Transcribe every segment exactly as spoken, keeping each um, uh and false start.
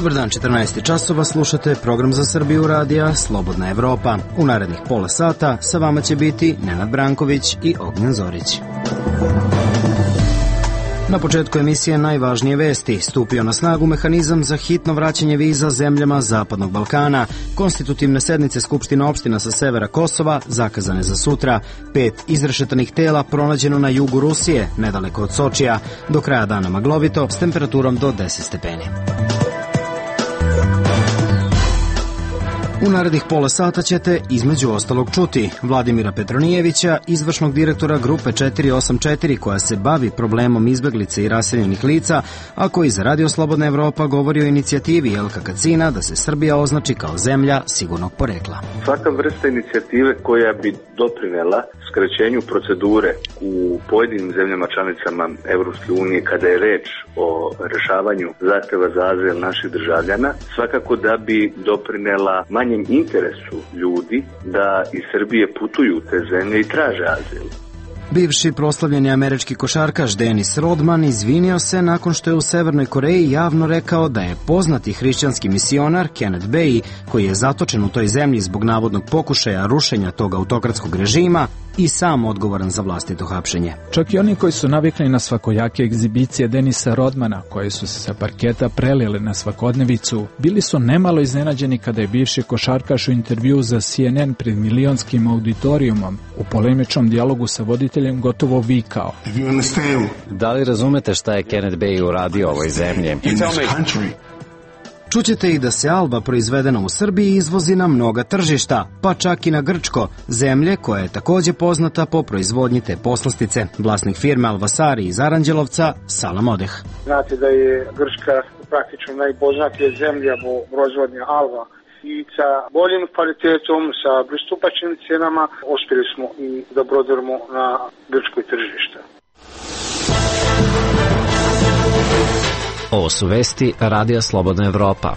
Dobar dan, četrnaest časova, slušate program za Srbiju radija Slobodna Evropa. U narednih pola sata sa vama će biti Nenad Branković i Ognjen Zorić. Na početku emisije najvažnije vesti. Stupio na snagu mehanizam za hitno vraćanje viza zemljama Zapadnog Balkana. Konstitutivne sednice Skupština opština sa severa Kosova zakazane za sutra. Pet izrešetanih tela pronađeno na jugu Rusije, nedaleko od Sočija. Do kraja dana maglovito s temperaturom do deset stepeni. U narednih pola sata ćete između ostalog čuti Vladimira Petronijevića, izvršnog direktora Grupe četiri osam četiri koja se bavi problemom izbeglice i raseljenih lica, a koji za Radio Slobodna Evropa govori o inicijativi Jelka Kacina da se Srbija označi kao zemlja sigurnog porekla. Svaka vrsta inicijative koja bi doprinela skraćenju procedure u pojedinim zemljama članicama Evropske unije kada je reč o rešavanju zahteva za azil naših državljana, svakako da bi doprinela manjem interesu ljudi da iz Srbije putuju u te zemlje i traže azil. Bivši proslavljeni američki košarkaš Dennis Rodman izvinio se nakon što je u Severnoj Koreji javno rekao da je poznati hrišćanski misionar Kenneth Bae, koji je zatočen u toj zemlji zbog navodnog pokušaja rušenja tog autokratskog režima, i sam odgovoran za vlastito hapšenje. Čak i oni koji su navikli na svakojake egzibicije Denisa Rodmana, koje su se sa parketa prelile na svakodnevicu, bili su nemalo iznenađeni kada je bivši košarkaš u intervju za C N N pred milionskim auditorijumom u polemičnom dijalogu sa voditeljem gotovo vikao: Da li razumete šta je Kenneth Bae uradio ovoj zemlji? Čućete i da se Alba proizvedena u Srbiji izvozi na mnoga tržišta, pa čak i na Grčko, zemlje koja je takođe poznata po proizvodnji te poslastice. Vlasnik firme Alvasari iz Aranđelovca, Salam Odeh. Znate da je Grčka praktično najpoznatija zemlja po proizvodnji alva i sa boljim kvalitetom, sa pristupačnim cijenama uspjeli smo i da prodajemo na grčkoj tržište. Ovo su vesti Radija Slobodna Evropa.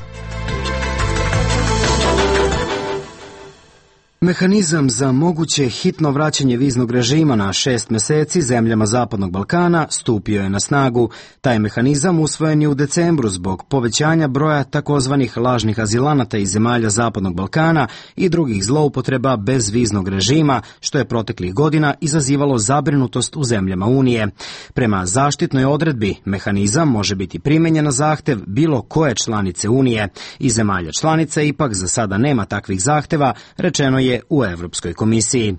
Mehanizam za moguće hitno vraćanje viznog režima na šest meseci zemljama Zapadnog Balkana stupio je na snagu. Taj mehanizam usvojen je u decembru zbog povećanja broja takozvanih lažnih azilanata iz zemalja Zapadnog Balkana i drugih zloupotreba bez viznog režima, što je proteklih godina izazivalo zabrinutost u zemljama Unije. Prema zaštitnoj odredbi, mehanizam može biti primenjen na zahtev bilo koje članice Unije. Iz zemalja članica ipak za sada nema takvih zahteva, rečeno je u Evropskoj komisiji.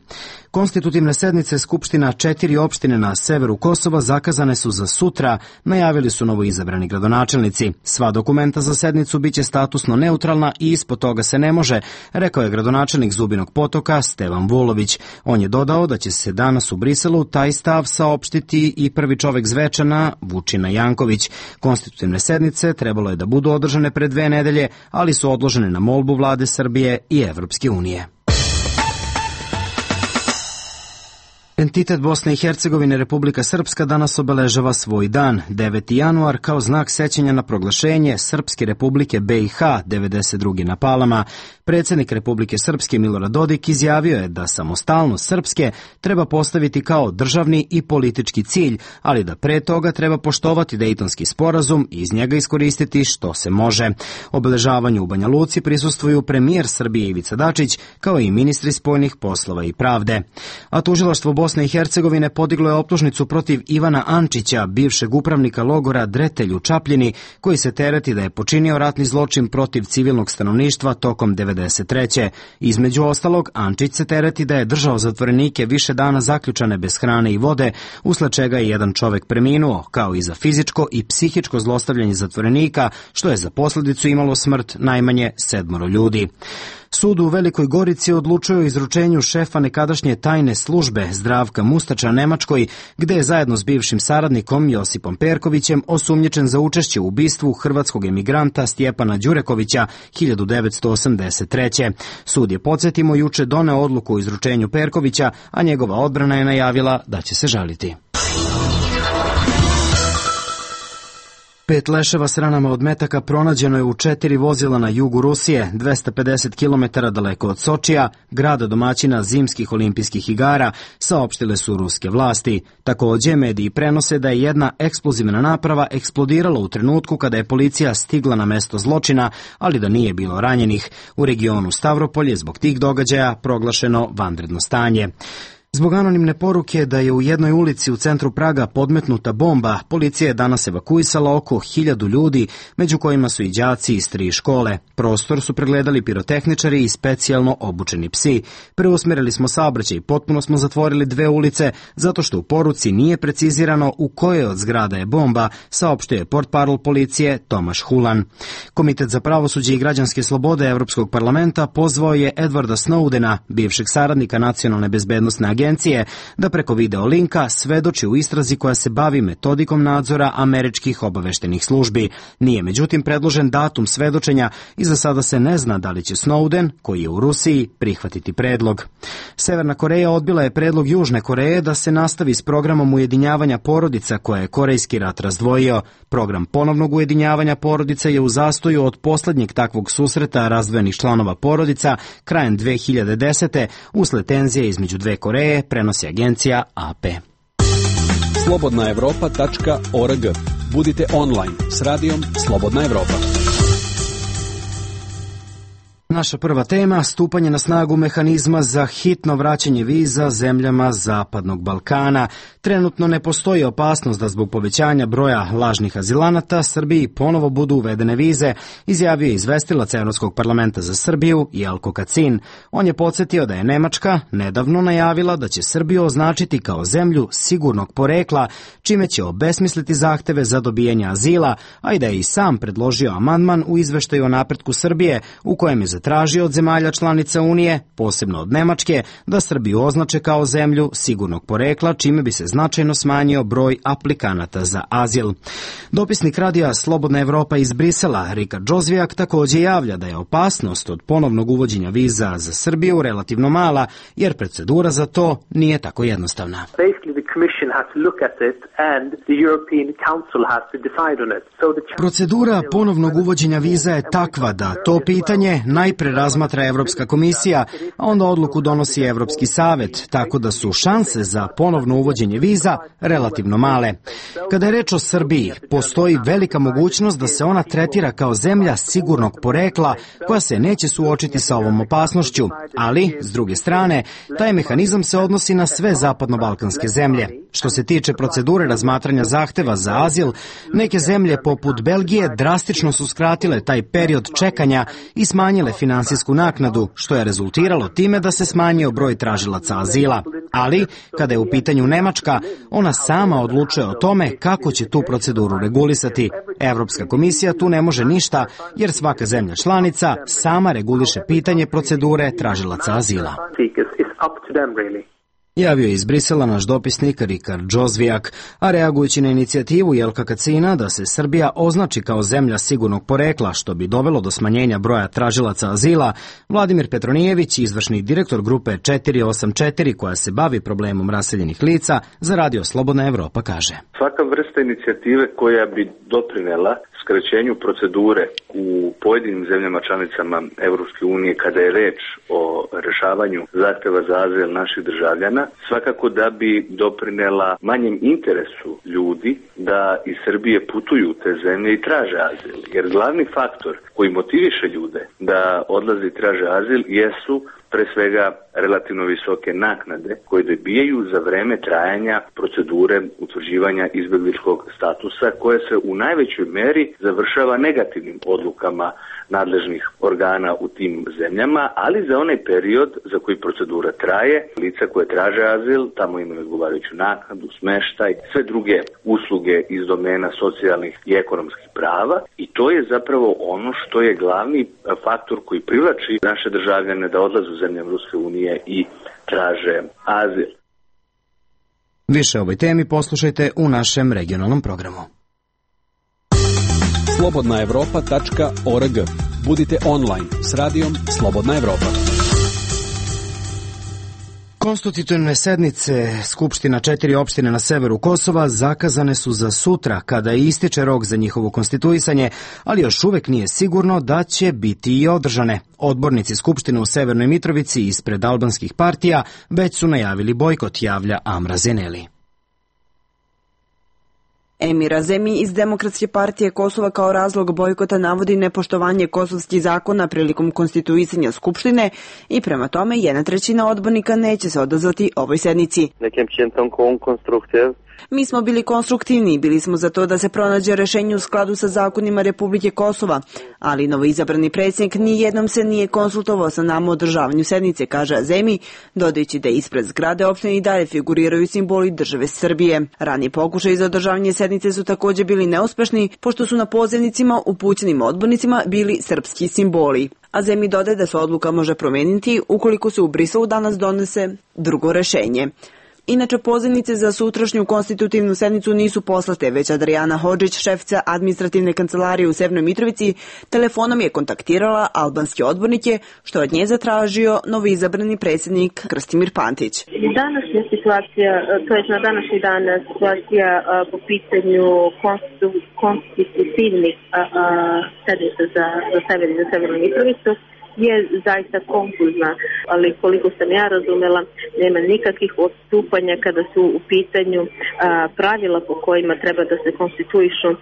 Konstitutivne sednice Skupština četiri opštine na severu Kosova zakazane su za sutra, najavili su novoizabrani gradonačelnici. Sva dokumenta za sednicu biće statusno neutralna i ispod toga se ne može, rekao je gradonačelnik Zubinog Potoka Stevan Vulović. On je dodao da će se danas u Briselu taj stav saopštiti i prvi čovek Zvečana, Vučina Janković. Konstitutivne sednice trebalo je da budu održane pre dve nedelje, ali su odložene na molbu vlade Srbije i Evropske unije. Entitet Bosne i Hercegovine Republika Srpska danas obeležava svoj dan, deveti januar, kao znak sećanja na proglašenje Srpske Republike B i H devedeset druge na Palama. Predsjednik Republike Srpske Milorad Dodik izjavio je da samostalnost Srpske treba postaviti kao državni i politički cilj, ali da pre toga treba poštovati Dejtonski sporazum i iz njega iskoristiti što se može. Obeležavanju u Banja Luci prisustvuju premijer Srbije Ivica Dačić, kao i ministri spoljnih poslova i pravde. A tužilaštvo Bosne i Hercegovine podiglo je optužnicu protiv Ivana Ančića, bivšeg upravnika logora Dretelj u Čapljini, koji se tereti da je počinio ratni zločin protiv civilnog stanovništva tokom devedeset treće. Između ostalog, Ančić se tereti da je držao zatvorenike više dana zaključane bez hrane i vode, usled čega je jedan čovek preminuo, kao i za fizičko i psihičko zlostavljanje zatvorenika, što je za posljedicu imalo smrt najmanje sedmoro ljudi. Sud u Velikoj Gorici odlučuje o izručenju šefa nekadašnje tajne službe Zdravka Mustača Nemačkoj, gde je zajedno s bivšim saradnikom Josipom Perkovićem osumnjičen za učešće u ubistvu hrvatskog emigranta Stjepana Đurekovića hiljadu devetsto osamdeset treće. Sud je, podsjetimo, juče doneo odluku o izručenju Perkovića, a njegova odbrana je najavila da će se žaliti. Pet leševa s ranama od metaka pronađeno je u četiri vozila na jugu Rusije, dvesta pedeset kilometara daleko od Sočija, grada domaćina zimskih olimpijskih igara, saopštile su ruske vlasti. Takođe, mediji prenose da je jedna eksplozivna naprava eksplodirala u trenutku kada je policija stigla na mesto zločina, ali da nije bilo ranjenih. U regionu Stavropolj je zbog tih događaja proglašeno vanredno stanje. Zbog anonimne poruke da je u jednoj ulici u centru Praga podmetnuta bomba, policija je danas evakuisala oko hiljadu ljudi, među kojima su i đaci iz tri škole. Prostor su pregledali pirotehničari i specijalno obučeni psi. Preusmerili smo saobraćaj i potpuno smo zatvorili dve ulice, zato što u poruci nije precizirano u kojoj od zgrada je bomba, saopštio je portparol policije Tomaš Hulan. Komitet za pravosuđe i građanske slobode Evropskog parlamenta pozvao je Edwarda Snowdena, bivšeg saradnika nacionalne bezbednosne agencije, agencije, da preko video linka svedoči u istrazi koja se bavi metodikom nadzora američkih obaveštenih službi. Nije međutim predložen datum svedočenja i za sada se ne zna da li će Snowden, koji je u Rusiji, prihvatiti predlog. Severna Koreja odbila je predlog Južne Koreje da se nastavi s programom ujedinjavanja porodica koje je Korejski rat razdvojio. Program ponovnog ujedinjavanja porodica je u zastoju od poslednjeg takvog susreta razdvojenih članova porodica krajem dve hiljade desete usled tenzije između dve Koreje, prenosi agencija A P. slobodna evropa tačka org. Budite online s radijom Slobodna Evropa. Naša prva tema, stupanje na snagu mehanizma za hitno vraćanje viza zemljama Zapadnog Balkana. Trenutno ne postoji opasnost da zbog povećanja broja lažnih azilanata Srbiji ponovo budu uvedene vize, izjavio je izvestilac Evropskog parlamenta za Srbiju Jelko Kacin. On je podsjetio da je Nemačka nedavno najavila da će Srbiju označiti kao zemlju sigurnog porekla, čime će obesmisliti zahteve za dobijanje azila, a i da je i sam predložio amandman u izveštaju o napretku Srbije u kojem je zatražio od zemalja članica Unije, posebno od Nemačke, da Srbiju označe kao zemlju sigurnog porekla, čime bi se značajno smanjio broj aplikanata za azil. Dopisnik radija Slobodna Evropa iz Brisela, Rikard Džozvijak, takođe javlja da je opasnost od ponovnog uvođenja viza za Srbiju relativno mala, jer procedura za to nije tako jednostavna. Procedura ponovnog uvođenja viza je takva da to pitanje najpre razmatra Evropska komisija, a onda odluku donosi Evropski savet, tako da su šanse za ponovno uvođenje viza relativno male. Kada je reč o Srbiji, postoji velika mogućnost da se ona tretira kao zemlja sigurnog porekla koja se neće suočiti sa ovom opasnošću, ali, s druge strane, taj mehanizam se odnosi na sve zapadno-balkanske zemlje. Što se tiče procedure razmatranja zahteva za azil, neke zemlje poput Belgije drastično su skratile taj period čekanja i smanjile finansijsku naknadu, što je rezultiralo time da se smanjio broj tražilaca azila. Ali, kada je u pitanju Nemačka, ona sama odlučuje o tome kako će tu proceduru regulisati. Evropska komisija tu ne može ništa, jer svaka zemlja članica sama reguliše pitanje procedure tražilaca azila. Javio je iz Brisela naš dopisnik Rikard Džozvijak, a reagujući na inicijativu Jelka Kacina da se Srbija označi kao zemlja sigurnog porekla, što bi dovelo do smanjenja broja tražilaca azila, Vladimir Petronijević, izvršni direktor grupe četiri osam četiri koja se bavi problemom raseljenih lica, za Radio Slobodna Evropa kaže: Svaka vrsta inicijative koja bi doprinela skraćenju procedure u pojedinim zemljama članicama Evropske unije kada je reč o rešavanju zahteva za azil naših državljana, svakako da bi doprinela manjem interesu ljudi da iz Srbije putuju u te zemlje i traže azil. Jer glavni faktor koji motiviše ljude da odlaze i traže azil jesu pre svega relativno visoke naknade koje dobijaju za vreme trajanja procedure utvrđivanja izbegličkog statusa, koje se u najvećoj meri završava negativnim odlukama nadležnih organa u tim zemljama, ali za onaj period za koji procedura traje, lica koje traže azil, tamo imaju odgovarajuću naknadu, smeštaj, sve druge usluge iz domena socijalnih i ekonomskih prava, i to je zapravo ono što je glavni faktor koji privlači naše državljane da odlaze u zemlje Ruske unije i traže azil. Više o ovoj temi poslušajte u našem regionalnom programu. slobodna evropa tačka org. Budite online s radijom Slobodna Evropa. Konstitutivne sednice Skupština četiri opštine na severu Kosova zakazane su za sutra, kada ističe rok za njihovo konstituisanje, ali još uvek nije sigurno da će biti i održane. Odbornici Skupštine u Severnoj Mitrovici ispred albanskih partija već su najavili bojkot, javlja Amra Zeneli. Emir Azemi iz Demokratske partije Kosova kao razlog bojkota navodi nepoštovanje kosovskih zakona prilikom konstituisanja Skupštine i prema tome jedna trećina odbornika neće se odazvati ovoj sednici. Mi smo bili konstruktivni i bili smo za to da se pronađe rešenje u skladu sa zakonima Republike Kosova, ali novoizabrani predsjednik nijednom se nije konsultovao sa nama o održavanju sednice, kaže Azemi, dodajući da ispred zgrade opštine i dalje figuriraju simboli države Srbije. Ranije pokušaji za održavanje sednice su također bili neuspešni, pošto su na pozivnicima upućenim odbornicima bili srpski simboli. Azemi dodaje da se odluka može promeniti ukoliko se u Briselu danas donese drugo rešenje. Inače, pozivnice za sutrašnju konstitutivnu sednicu nisu poslate, već Adriana Hodžić, šefica administrativne kancelarije u Severnoj Mitrovici, telefonom je kontaktirala albanske odbornike, što od nje zatražio novoizabrani predsjednik Krstimir Pantić. Današnja situacija, to je na današnji dan situacija po pitanju konstitutivnih sednica za, za sever i za Severnu Mitrovicu je zaista konfuzna, ali koliko sam ja razumela, nema nikakvih odstupanja kada su u pitanju a, pravila po kojima treba da se konstituišu a,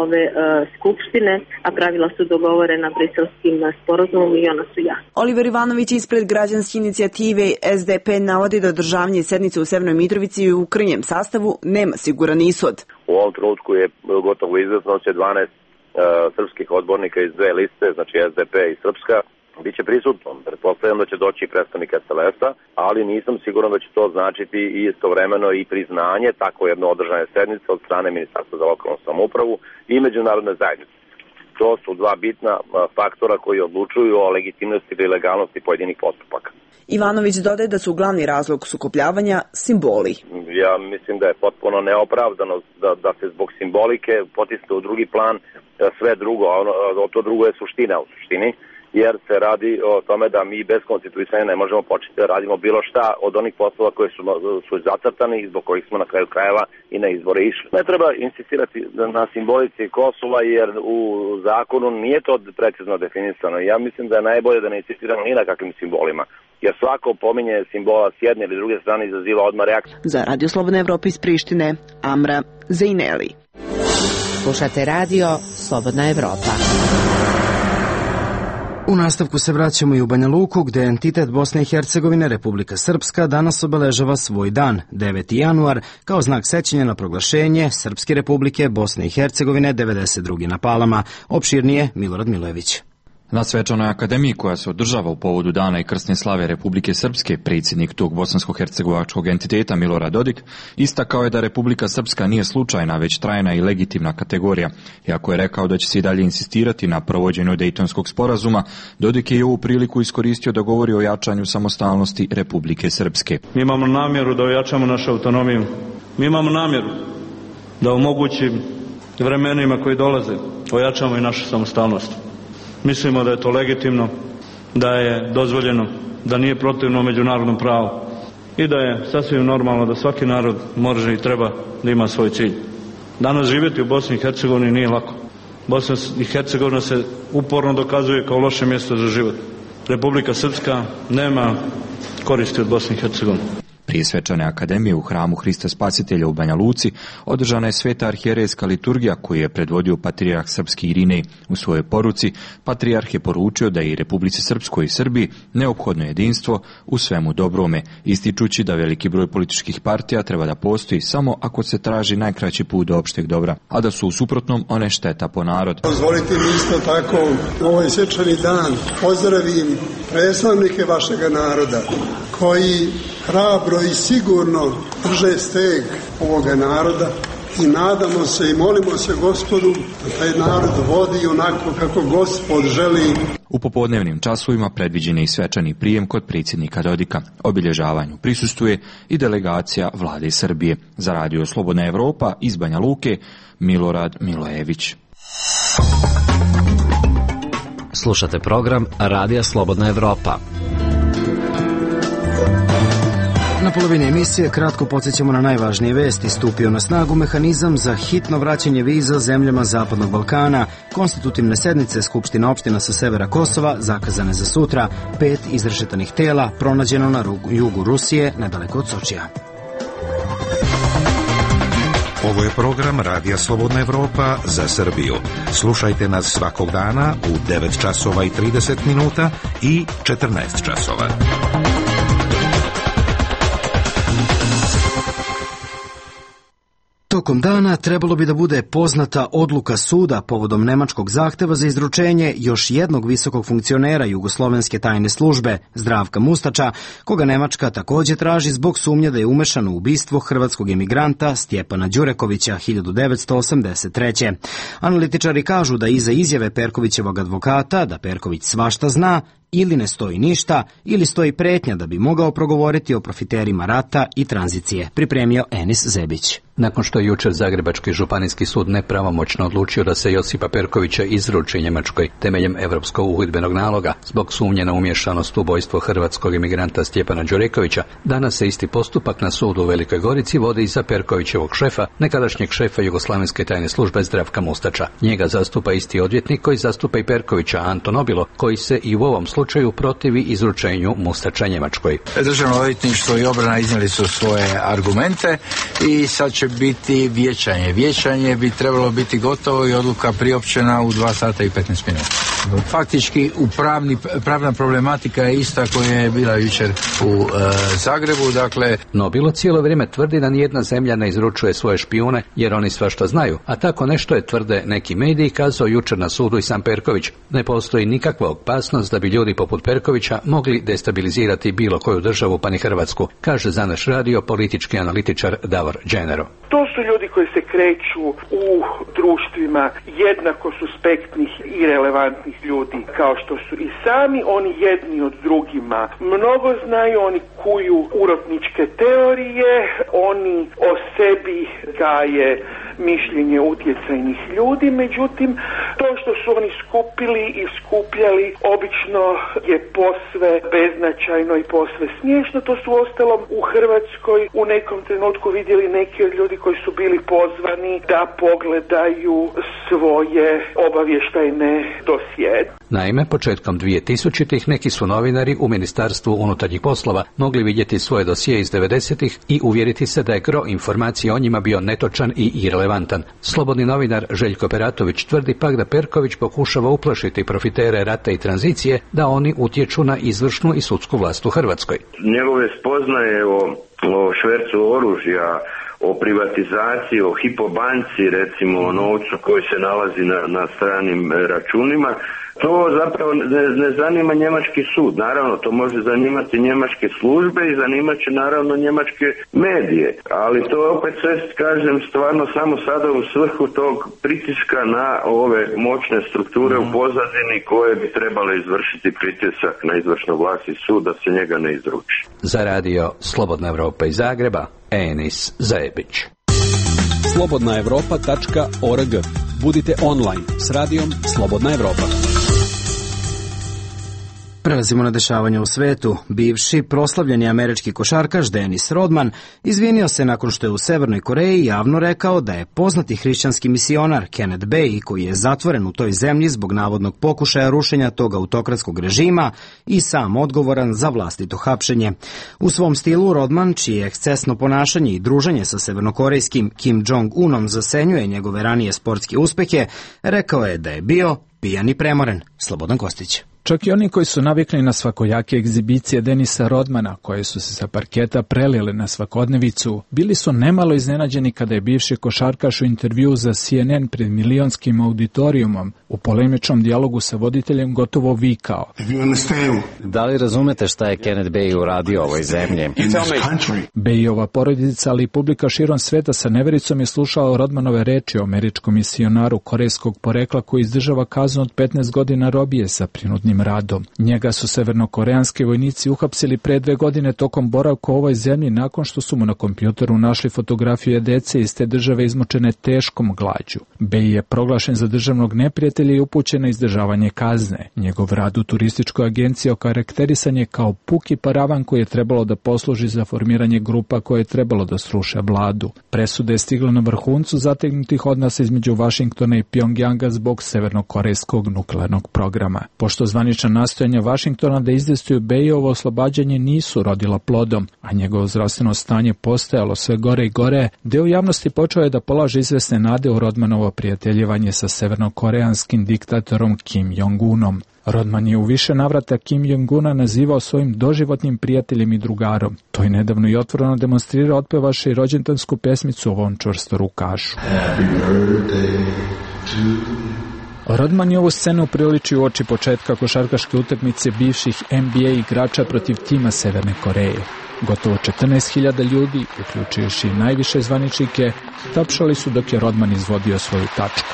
ove a, skupštine, a pravila su dogovorena briselskim sporazumom i ona su jasna. Oliver Ivanović ispred građanske inicijative S D P navodi da održavanje sednice u Severnoj Mitrovici u krnjem sastavu nema siguran ishod. U ovom trenutku je gotovo izvesno će dvanaest srpskih odbornika iz dve liste, znači S D P i Srpska, biće prisutno. Pretpostavljam da će doći predstavnik S L S-a, ali nisam siguran da će to značiti i istovremeno i priznanje tako jedno održane sednice od strane Ministarstva za lokalnu samoupravu i međunarodne zajednice. To su dva bitna faktora koji odlučuju o legitimnosti ili legalnosti pojedinih postupaka. Ivanović dodaje da su glavni razlog sukobljavanja simboli. Ja mislim da je potpuno neopravdano da, da se zbog simbolike potisne u drugi plan sve drugo, a ono, to drugo je suština u suštini, jer se radi o tome da mi bez konstituisanja ne možemo početi da radimo bilo šta od onih poslova koje su, su zacrtani i zbog kojih smo na kraju krajeva i na izbore išli. Ne treba insistirati na simbolici Kosova jer u zakonu nije to precizno definisano. Ja mislim da je najbolje da ne insistiramo ni na kakvim simbolima, jer svako pominje simbola s jedne ili druge strane izaziva odmah reakciju. Za Radio Slobodna Evropa iz Prištine, Amra Zeneli. Slušate radio Slobodna Evropa. U nastavku se vraćamo i u Banja Luku, gde entitet Bosne i Hercegovine, Republika Srpska, danas obeležava svoj dan, deveti januar, kao znak sećanja na proglašenje Srpske Republike Bosne i Hercegovine devedeset druge na Palama. Opširnije Milorad Milojević. Na svečanoj akademiji koja se održava u povodu dana i krsne slave Republike Srpske, predsjednik tog bosansko-hercegovačkog entiteta Milorad Dodik istakao je da Republika Srpska nije slučajna, već trajna i legitimna kategorija. Iako je rekao da će se i dalje insistirati na provođenju Dejtonskog sporazuma, Dodik je i ovu priliku iskoristio da govori o jačanju samostalnosti Republike Srpske. Mi imamo namjeru da ojačamo našu autonomiju. Mi imamo namjeru da u mogućim vremenima koji dolaze ojačamo i našu samostalnost. Mislimo da je to legitimno, da je dozvoljeno, da nije protivno međunarodnom pravu i da je sasvim normalno da svaki narod može i treba da ima svoj cilj. Danas živjeti u Bosni i Hercegovini nije lako. Bosna i Hercegovina se uporno dokazuje kao loše mjesto za život. Republika Srpska nema koristi od Bosne i Hercegovine. Prije svečane akademije u hramu Hrista Spasitelja u Banja Luci održana je sveta arhijerejska liturgija koju je predvodio patrijarh srpski Irinej. U svojoj poruci patrijarh je poručio da je i Republici Srpskoj i Srbiji neophodno jedinstvo u svemu dobrome, ističući da veliki broj političkih partija treba da postoji samo ako se traži najkraći put do opšteg dobra, a da su u suprotnom one šteta po narod. Dozvolite mi isto tako ovaj svečani dan pozdravim predstavnike vašega naroda koji hrabro i sigurno drže steg ovoga naroda i nadamo se i molimo se Gospodu da taj narod vodi onako kako Gospod želi. U popodnevnim časovima predviđen je i svečani prijem kod predsjednika Dodika. Obilježavanju prisustvuje i delegacija vlade Srbije. Za Radio Slobodna Evropa iz Banja Luke, Milorad Milojević. Slušate program Radija Slobodna Evropa. Na polovini emisije kratko podsjećamo na najvažnije vesti. Stupio na snagu mehanizam za hitno vraćanje viza zemljama Zapadnog Balkana. Konstitutivne sednice Skupština opština sa severa Kosova zakazane za sutra. Pet izrešetanih tela pronađeno na jugu Rusije, nedaleko od Sočija. Ovo je program Radija Slobodna Evropa za Srbiju. Slušajte nas svakog dana u devet časova i trideset minuta i četrnaest časova. Tokom dana trebalo bi da bude poznata odluka suda povodom nemačkog zahteva za izručenje još jednog visokog funkcionera jugoslovenske tajne službe, Zdravka Mustača, koga Nemačka takođe traži zbog sumnje da je umešan u ubistvo hrvatskog emigranta Stjepana Đurekovića hiljadu devetsto osamdeset treće. Analitičari kažu da iza izjave Perkovićevog advokata da Perković svašta zna, ili ne stoji ništa, ili stoji pretnja da bi mogao progovoriti o profiterima rata i tranzicije, pripremio Enis Zebić. Nakon što je jučer Zagrebački županijski sud nepravomoćno odlučio da se Josipa Perkovića izruči Njemačkoj temeljem Evropskog uhidbenog naloga zbog sumnje na umješanost u ubojstvo hrvatskog imigranta Stjepana Đurekovića, danas se isti postupak na sudu u Velikoj Gorici vodi i za Perkovićevog šefa, nekadašnjeg šefa Jugoslavenske tajne službe Zdravka Mustača. Njega zastupa isti odvjetnik koji zastupa i Perkovića, Anton Obilo, koji se i u ovom slučaju protivi izručenju Mustača Njemačkoj. Državno odvjetništvo i obrana iznijeli su svoje argumente i sad će biti vijećanje. Vijećanje bi trebalo biti gotovo i odluka priopćena u dva sata i petnaest minuta. Faktički u pravni, pravna problematika je ista koja je bila jučer u e, Zagrebu, dakle... No bilo cijelo vrijeme tvrdi da nijedna zemlja ne izručuje svoje špijune jer oni svašta znaju, a tako nešto je, tvrde neki mediji, kazao jučer na sudu i sam Perković. Ne postoji nikakva opasnost da bi ljudi poput Perkovića mogli destabilizirati bilo koju državu, pa ni Hrvatsku, kaže za naš radio politički analitičar Davor Dženero. To su ljudi koji se kreću u društvima jednako suspektnih i relevantnih ljudi, kao što su i sami oni jedni od drugima. Mnogo znaju, oni kuju urotničke teorije, oni o sebi gaje mišljenje utjecajnih ljudi, međutim, to što su oni skupili i skupljali obično je posve beznačajno i posve smiješno. To su ostalom u Hrvatskoj u nekom trenutku vidjeli neki od ljudi koji su bili pozvani da pogledaju svoje obavještajne dosije. Naime, početkom dvije tisućitih neki su novinari u Ministarstvu unutarnjih poslova mogli vidjeti svoje dosije iz devedesetih i uvjeriti se da je gro informacija o njima bio netočan i irelevantan. Slobodni novinar Željko Peratović tvrdi pak da Perković pokušava uplašiti profitere rata i tranzicije da oni utječu na izvršnu i sudsku vlast u Hrvatskoj. Njegove spoznaje o, o švercu oružja, o privatizaciji, o Hypo banci, recimo o novcu koji se nalazi na, na stranim računima, to zapravo ne, ne zanima njemački sud. Naravno, to može zanimati njemačke službe i zanimat će naravno njemačke medije. Ali to je opet sve, kažem, stvarno samo sada u svrhu tog pritiska na ove moćne strukture u pozadini koje bi trebale izvršiti pritisak na izvršnu vlast i sud da se njega ne izruči. Za radio Slobodna Evropa iz Zagreba, Enis Zebić. slobodna evropa tačka org. Budite online s radijom Slobodna Evropa. Prelazimo na dešavanja u svetu. Bivši proslavljeni američki košarkaš Dennis Rodman izvinio se nakon što je u Severnoj Koreji javno rekao da je poznati hrišćanski misionar Kenneth Bae, koji je zatvoren u toj zemlji zbog navodnog pokušaja rušenja tog autokratskog režima, i sam odgovoran za vlastito hapšenje. U svom stilu Rodman, čije ekscesno ponašanje i druženje sa severnokorejskim Kim Jong-unom zasenjuje njegove ranije sportske uspehe, rekao je da je bio pijan i premoren. Slobodan Kostić. Čak i oni koji su navikli na svakojake egzibicije Denisa Rodmana, koje su se sa parketa prelile na svakodnevicu, bili su nemalo iznenađeni kada je bivši košarkaš u intervju za C N N pred milionskim auditorijumom u polemičnom dijalogu sa voditeljem gotovo vikao. Da li razumete šta je Kenneth Bae uradio ovoj zemlji? Baeova porodica, ali i publika širom sveta sa nevericom je slušala Rodmanove reči o američkom misionaru korejskog porekla koji izdržava kaznu od petnaest godina robije sa prinudnim svojim radom. Njega su severnokoreanski vojnici uhapsili pre dve godine tokom boravka u ovoj zemlji nakon što su mu na kompjuteru našli fotografije dece iz te države izmučene teškom glađu. Bej je proglašen za državnog neprijatelja i upućen na izdržavanje kazne. Njegov rad u turističkoj agenciji okarakterisan je kao puki paravan koji je trebalo da posluži za formiranje grupa koje je trebalo da sruše vladu. Presuda je stigla na vrhuncu zategnutih odnosa između Vašingtona i Pjongjanga zbog severnokorejskog nuklearnog programa. Pošto zvanična nastojanja Vašingtona da izdejstuju Bejovo oslobađanje nisu rodila plodom, a njegovo zdravstveno stanje postajalo sve gore i gore, deo javnosti počeo je da polaže izvesne nade u Rodmanovo prijateljevanje sa severnokoreanskim diktatorom Kim Jong-unom. Rodman je u više navrata Kim Jong-una nazivao svojim doživotnim prijateljem i drugarom. To je nedavno i otvoreno demonstrirao otpevaše i rođendansku pesmicu ovom čvrstorukašu. Rodman je ovu scenu priličio u oči početka košarkaške utakmice bivših N B A igrača protiv tima Severne Koreje. Gotovo četrnaest hiljada ljudi, uključujući najviše zvaničnike, tapšali su dok je Rodman izvodio svoju tačku.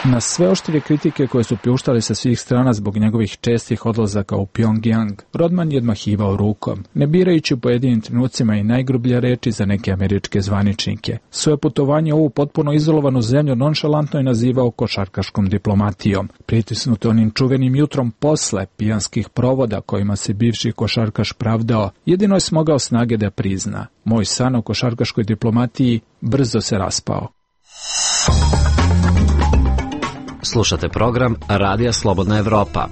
Na sve oštrije kritike koje su pljuštale sa svih strana zbog njegovih čestih odlazaka u Pjongjang, Rodman je odmahivao rukom, ne birajući u pojedinim trenucima i najgrublje reči za neke američke zvaničnike. Svoje putovanje u ovu potpuno izolovanu zemlju nonšalantno je nazivao košarkaškom diplomatijom. Pritisnut onim čuvenim jutrom posle pijanskih provoda kojima se bivši košarkaš pravdao, jedino je smogao snage da prizna: moj san o košarkaškoj diplomatiji brzo se raspao. Slušate program Radija Slobodna Evropa.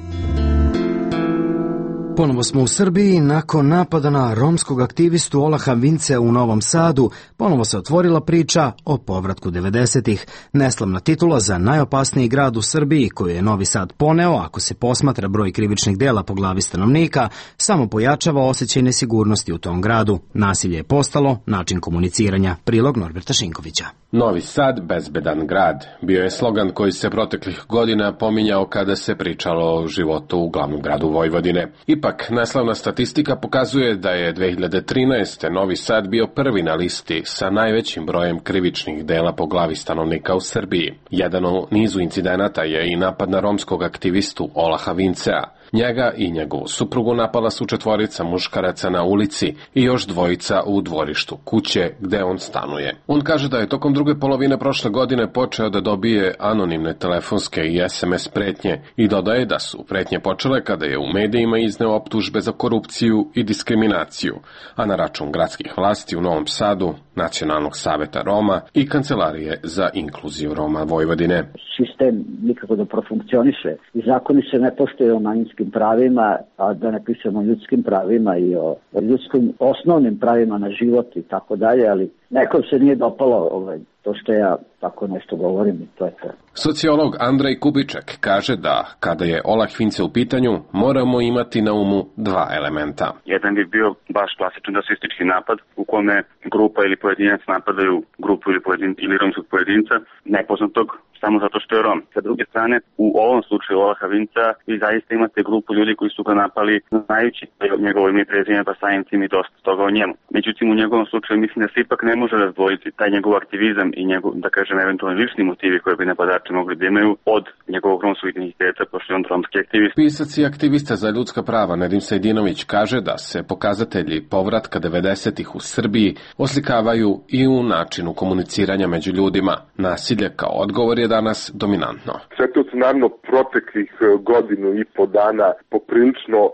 Ponovo smo u Srbiji. Nakon napada na romskog aktivistu Olaha Vincea u Novom Sadu, ponovo se otvorila priča o povratku devedesetih. Neslavna titula za najopasniji grad u Srbiji, koju je Novi Sad poneo, ako se posmatra broj krivičnih dela po glavi stanovnika, samo pojačava osjećaj nesigurnosti u tom gradu. Nasilje je postalo način komuniciranja. Prilog Norberta Šinkovića. Novi Sad, bezbedan grad, bio je slogan koji se proteklih godina pominjao kada se pričalo o životu u glavnom gradu Vojvodine. Ipak, neslavna statistika pokazuje da je dve hiljade trinaeste. Novi Sad bio prvi na listi sa najvećim brojem krivičnih dela po glavi stanovnika u Srbiji. Jedan u nizu incidenata je i napad na romskog aktivistu Olaha Vincea. Njega i njegovu suprugu napala su četvorica muškaraca na ulici i još dvojica u dvorištu kuće gde on stanuje. On kaže da je tokom druge polovine prošle godine počeo da dobije anonimne telefonske i S M S pretnje i dodaje da su pretnje počele kada je u medijima izneo optužbe za korupciju i diskriminaciju, a na račun gradskih vlasti u Novom Sadu, Nacionalnog saveta Roma i Kancelarije za inkluziju Roma Vojvodine. Sistem nikako da profunkcioniše i zakoni se ne poštuju o manjinskim pravima, a da ne pišemo o ljudskim pravima i o ljudskim osnovnim pravima na život i tako dalje, ali nekom se nije dopalo ovaj, to što ja tako nešto govorim i to je to. Sociolog Andrej Kubiček kaže da kada je Olah Vince u pitanju, moramo imati na umu dva elementa. Jedan bi bio baš klasičan rasistički napad u kome grupa ili pojedinac napadaju grupu ili, pojedin, ili romskog pojedinca nepoznatog samo zato što je Rom. Sa druge strane, u ovom slučaju Olaha Vincea vi zaista imate grupu ljudi koji su ga napali znajući njegovo ime i prezime, pa samim tim i dosta toga o njemu. Međutim, u njegovom slučaju mislim da se ipak ne može razdvojiti taj njegov aktivizam i njegov, da kažem, eventualno lični motivi koje bi napadači mogli da imaju od njegovog romskog identiteta, pošto je on romski aktivist. Pisac i aktivista za ljudska prava Nedim Sejdinović kaže da se pokazatelji povratka devedesetih u Srbiji oslikavaju i u načinu komuniciranja među ljudima. Nasilje kao odgovor je danas dominantno. Sve to se naravno proteklih godinu i po dana poprilično uh,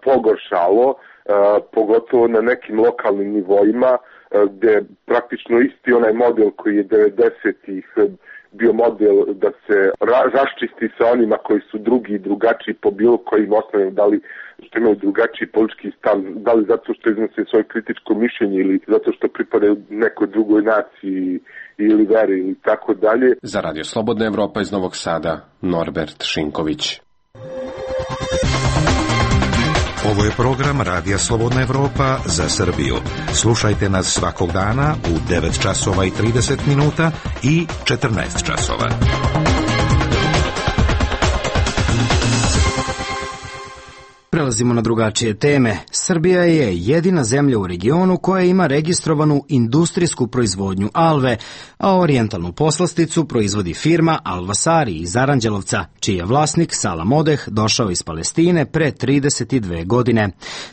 pogoršalo, uh, pogotovo na nekim lokalnim nivoima, uh, gde praktično isti onaj model koji je devedesetih bio model da se ra- raščisti sa onima koji su drugi i drugačiji po bilo kojim osnovima, da li što imaju drugačiji politički stav, da li zato što iznose svoje kritičko mišljenje ili zato što pripadaju nekoj drugoj naciji ili veri ili tako dalje. Za Radio Slobodna Evropa iz Novog Sada, Norbert Šinković. Ovo je program Radija Slobodna Evropa za Srbiju. Slušajte nas svakog dana u devet časova i trideset minuta i četrnaest časova. Prelazimo na drugačije teme. Srbija je jedina zemlja u regionu koja ima registrovanu industrijsku proizvodnju alve, a orijentalnu poslasticu proizvodi firma Alvasari iz Aranđelovca, čiji je vlasnik Salam Odeh došao iz Palestine pre trideset dve godine.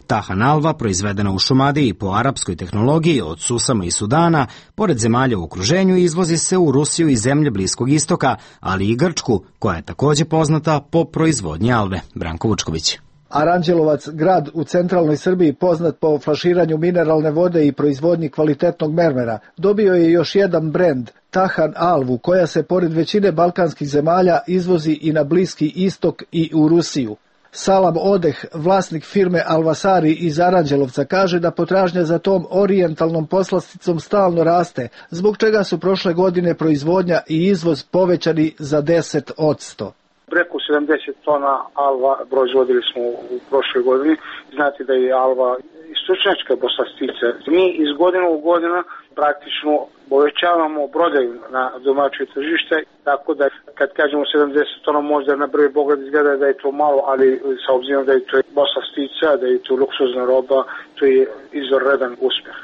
Tahan alva, proizvedena u Šumadiji po arapskoj tehnologiji od susama i Sudana, pored zemalja u okruženju izvozi se u Rusiju i zemlje Bliskog istoka, ali i Grčku, koja je takođe poznata po proizvodnji alve. Branko Vučković. Aranđelovac, grad u centralnoj Srbiji poznat po flaširanju mineralne vode i proizvodnji kvalitetnog mermera, dobio je još jedan brend, Tahan alvu, koja se pored većine balkanskih zemalja izvozi i na Bliski istok i u Rusiju. Salam Odeh, vlasnik firme Alvasari iz Aranđelovca, kaže da potražnja za tom orijentalnom poslasticom stalno raste, zbog čega su prošle godine proizvodnja i izvoz povećani za deset posto. Preko sedamdeset tona alva proizvodili smo u prošloj godini. Znate da je alva istočnjačka poslastica. Mi iz godine u godinu praktično povećavamo prodaju na domaće tržište, tako da kad kažemo sedamdeset tona možda na prvi pogled izgleda da je to malo, ali sa obzirom da je to poslastica, da je to luksuzna roba, to je izvanredan uspjeh.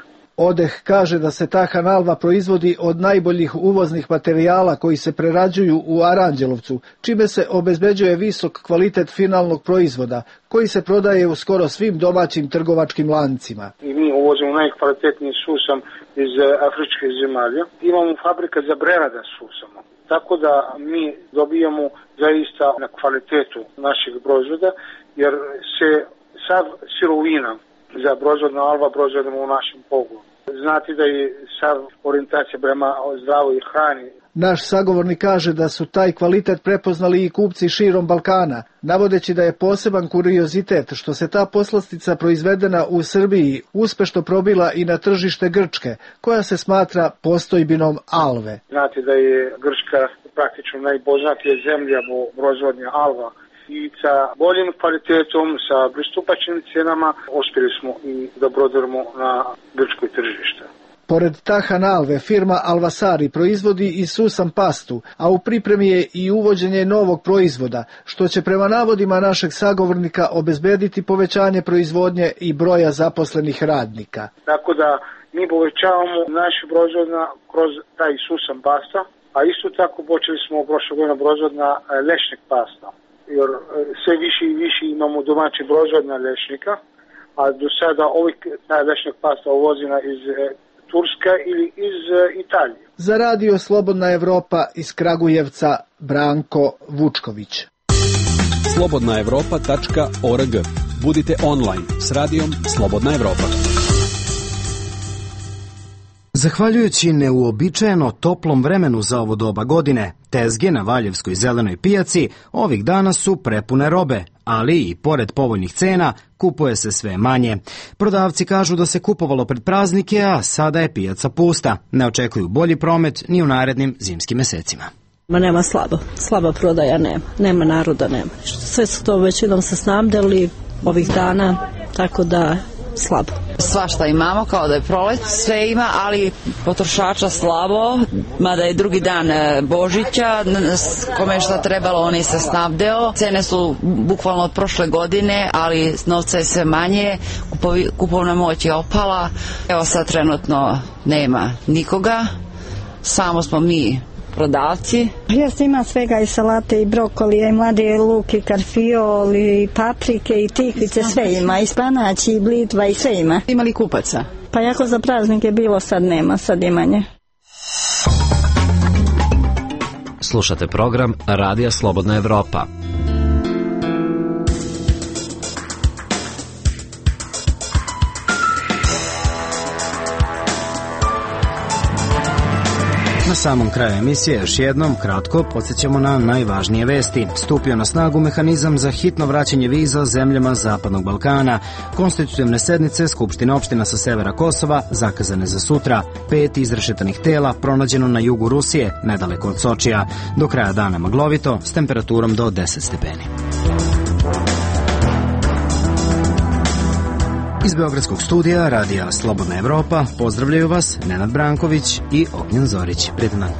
Odeh kaže da se Tahan alva proizvodi od najboljih uvoznih materijala koji se prerađuju u Aranđelovcu, čime se obezbeđuje visok kvalitet finalnog proizvoda, koji se prodaje u skoro svim domaćim trgovačkim lancima. I mi uvozimo najkvalitetniji susam iz afričkih zemalja. Imamo fabrika za prerada susama. Tako da mi dobijamo zaista na kvalitetu naših proizvoda, jer se sav sirovina za proizvodna alva proizvodimo u našem pogonu. Znate da je sav orijentacija prema zdravoj hrani. Naš sagovornik kaže da su taj kvalitet prepoznali i kupci širom Balkana, navodeći da je poseban kuriozitet što se ta poslastica proizvedena u Srbiji uspešno probila i na tržište Grčke, koja se smatra postojbinom alve. Znate da je Grčka praktično najpoznatija zemlja po proizvodnji alva. I sa boljim kvalitetom, sa pristupačnim cijenama, uspjeli smo i da prodajemo na grčkoj tržište. Pored Tahan alve, firma Alvasari proizvodi i susam pastu, a u pripremi je i uvođenje novog proizvoda, što će prema navodima našeg sagovornika obezbediti povećanje proizvodnje i broja zaposlenih radnika. Tako da mi povećavamo našu proizvodnju kroz taj susam pasta, a isto tako počeli smo prošle godine proizvodna lešnik pasta. Jer sve više i više imamo domaći proizvodna lešnika, a do sada ovih taj lešnik pasta uvozina iz Turska ili iz Italije. Za radio Slobodna Evropa iz Kragujevca, Branko Vučković. slobodna evropa tačka org. Budite online s radijom Slobodna Evropa. Zahvaljujući neuobičajeno toplom vremenu za ovo doba godine, tezge na Valjevskoj zelenoj pijaci ovih dana su prepune robe, ali i pored povoljnih cena kupuje se sve manje. Prodavci kažu da se kupovalo pred praznike, a sada je pijaca pusta. Ne očekuju bolji promet ni u narednim zimskim mesecima. Ma nema slabo, slaba prodaja nema, nema naroda, nema. Sve su to većinom se snabdeli ovih dana, tako da slabo. Svašta imamo, kao da je prolet, sve ima, ali potrošača slabo, mada je drugi dan Božića, kome je šta trebalo, on je se snabdeo. Cene su bukvalno od prošle godine, ali novca je sve manje, kupovna moć je opala. Evo sad trenutno nema nikoga, samo smo mi prodavci. Jeste, ima svega, i salate, i brokolije, i mladi luk, i karfiol, i paprike, i tikvice, sve ima, i spanać, i blitva, i sve ima. Ima li kupaca? Pa jako za praznike bilo, sad nema, sad imanje. Slušate program Radija Slobodna Evropa. Na samom kraju emisije još jednom kratko podsjećamo na najvažnije vesti. Stupio na snagu mehanizam za hitno vraćanje viza zemljama Zapadnog Balkana. Konstitutivne sednice Skupštine opština sa severa Kosova zakazane za sutra. Pet izrešetanih tela pronađeno na jugu Rusije, nedaleko od Sočija. Do kraja dana maglovito s temperaturom do deset stepeni. Iz Beogradskog studija Radija Slobodna Evropa pozdravljaju vas Nenad Branković i Ognjen Zorić. Prijetan dan.